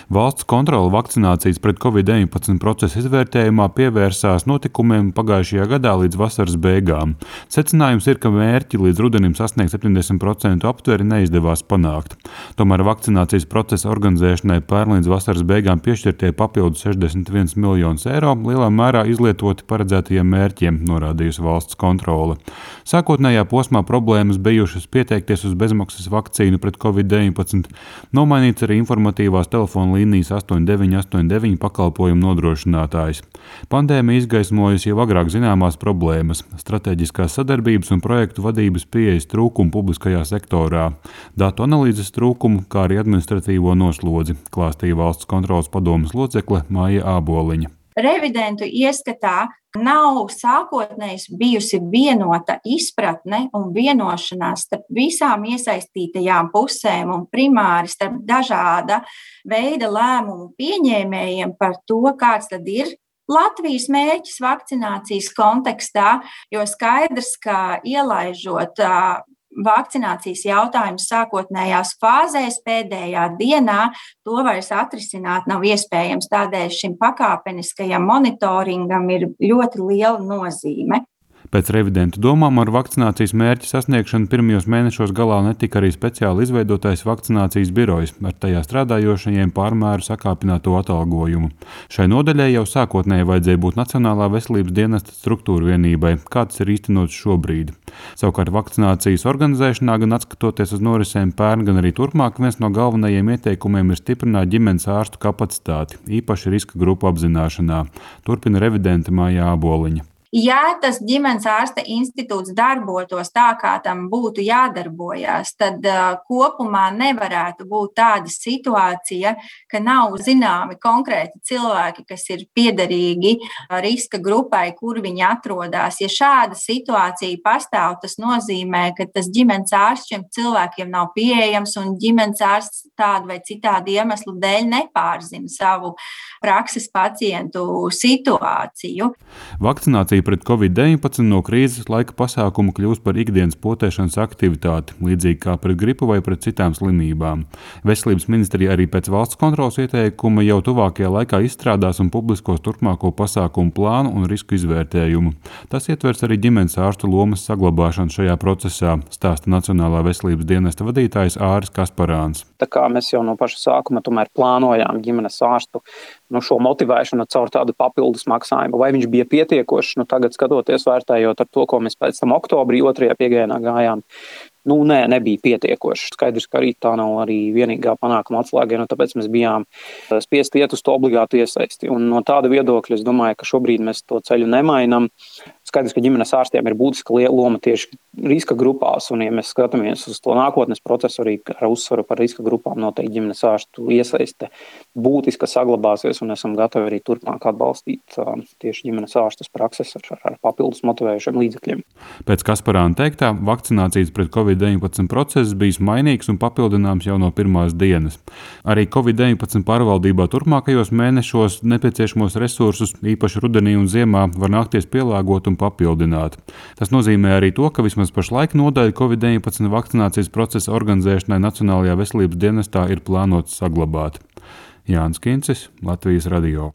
Valsts kontrole vakcinācijas pret Covid-19 procesa izvērtējumā pievērsās notikumiem pagājušajā gadā līdz vasaras beigām. Secinājums ir, ka mērķi līdz rudenim sasniegt 70% aptveri neizdevās panākt. Tomēr vakcinācijas procesa organizēšanai pērn līdz vasaras beigām piešķirtie papildu 61 miljonus eiro lielā mērā izlietoti paredzētajiem mērķiem, norādījusi valsts kontrole. Sākotnējā posmā problēmas bijušas pieteikties uz bezmaksas vakcīnu pret Covid-19, nomainīts arī informatīvās telefona līnijas 8989 pakalpojumu nodrošinātājs. Pandēmija izgaismojusi jau agrāk zināmās problēmas - stratēģiskās sadarbības un projektu vadības pieejas trūkumu publiskajā sektorā, datu analīzes trūkumu, kā arī administratīvo noslodzi, klāstīja valsts kontroles padomes locekle Maija Āboliņa. Revidentu ieskatā nav sākotnēji bijusi vienota izpratne un vienošanās starp visām iesaistītajām pusēm un primāri starp dažāda veida lēmumu pieņēmējiem par to, kāds tad ir Latvijas mērķis vakcinācijas kontekstā, jo skaidrs, ka ielaižot vakcinācijas jautājumus sākotnējās fāzēs pēdējā dienā, to vairs atrisināt nav iespējams. Tādēļ šim pakāpeniskajam monitoringam ir ļoti liela nozīme. Pēc revidentu domām ar vakcinācijas mērķa sasniegšanu pirmajos mēnešos galā netika arī speciāli izveidotais vakcinācijas birojs ar tajā strādājošajiem pārmēru sakāpināto atalgojumu. Šai nodaļai jau sākotnēji vajadzēja būt Nacionālā veselības dienesta struktūra vienībai, kā tas ir īstenots šobrīd. Savukārt vakcinācijas organizēšanā, gan atskatoties uz norisēm pērn, gan arī turpmāk, viens no galvenajiem ieteikumiem ir stiprināt ģimenes ārstu kapacitāti, īpaši riska grupu apzināšanā, turpina revidente Maija Āboliņa. Ja tas ģimenes ārsta institūts darbotos tā, kā tam būtu jādarbojas, tad kopumā nevarētu būt tāda situācija, ka nav zināmi konkrēti cilvēki, kas ir piederīgi riska grupai, kur viņi atrodas. Ja šāda situācija pastāv, tas nozīmē, ka tas ģimenes ārsts šiem cilvēkiem nav pieejams un ģimenes ārsts tādu vai citādu iemeslu dēļ nepārzina savu prakses pacientu situāciju. Vakcinācija pret Covid-19 no krīzes laika pasākumu kļūst par ikdienas potēšanas aktivitāti, līdzīgi kā pret gripu vai pret citām slimībām. Veselības ministrija arī pēc valsts kontroles ieteikuma jau tuvākajā laikā izstrādās un publiskos turpmāko pasākumu plānu un risku izvērtējumu. Tas ietvers arī ģimenes ārstu lomas saglabāšanu šajā procesā, stāsta Nacionālā veselības dienesta vadītājs Āris Kasparāns. Tā kā mēs jau no paša sākuma tomēr plānojām ģimenes ārstu šo motivēšanu caur tādu papildus maksājumu, vai viņš bija pietiekošs, tagad skatoties, vērtējot ar to, ko mēs pēc tam oktobrī 2. piegājienā gājām, nebija pietiekoši. Skaidrs, ka arī tā nav arī vienīgā panākuma atslēga, tāpēc mēs bijām spiesti iet uz to obligātu iesaisti. Un no tāda viedokļa es domāju, ka šobrīd mēs to ceļu nemainam. Skaidrs, ka ģimenes ārstiem ir būtiska loma tieši riska grupās, un ja mēs skatāmies uz to nākotnes procesu arī ar uzsvaru par riska grupām, noteikti ģimenes ārstu iesaiste būtiski saglabāsies, un esam gatavi arī turpmāk atbalstīt tieši ģimenes ārstus prakses ar papildus motivējušiem līdzekļiem. Pēc Kasparāna teiktā, vakcinācijas pret Covid-19 process bijis mainīgs un papildināms jau no pirmās dienas. Arī Covid-19 pārvaldībā turpmākajos mēnešos nepieciešamos resursus, īpaši rudenī un ziemā, var nākties pielāgot un papildināt. Tas nozīmē arī to, ka vismaz pašlaik nodaļa Covid-19 vakcinācijas procesa organizēšanai Nacionālajā veselības dienestā ir plānots saglabāt. Jānis Kincis, Latvijas radio.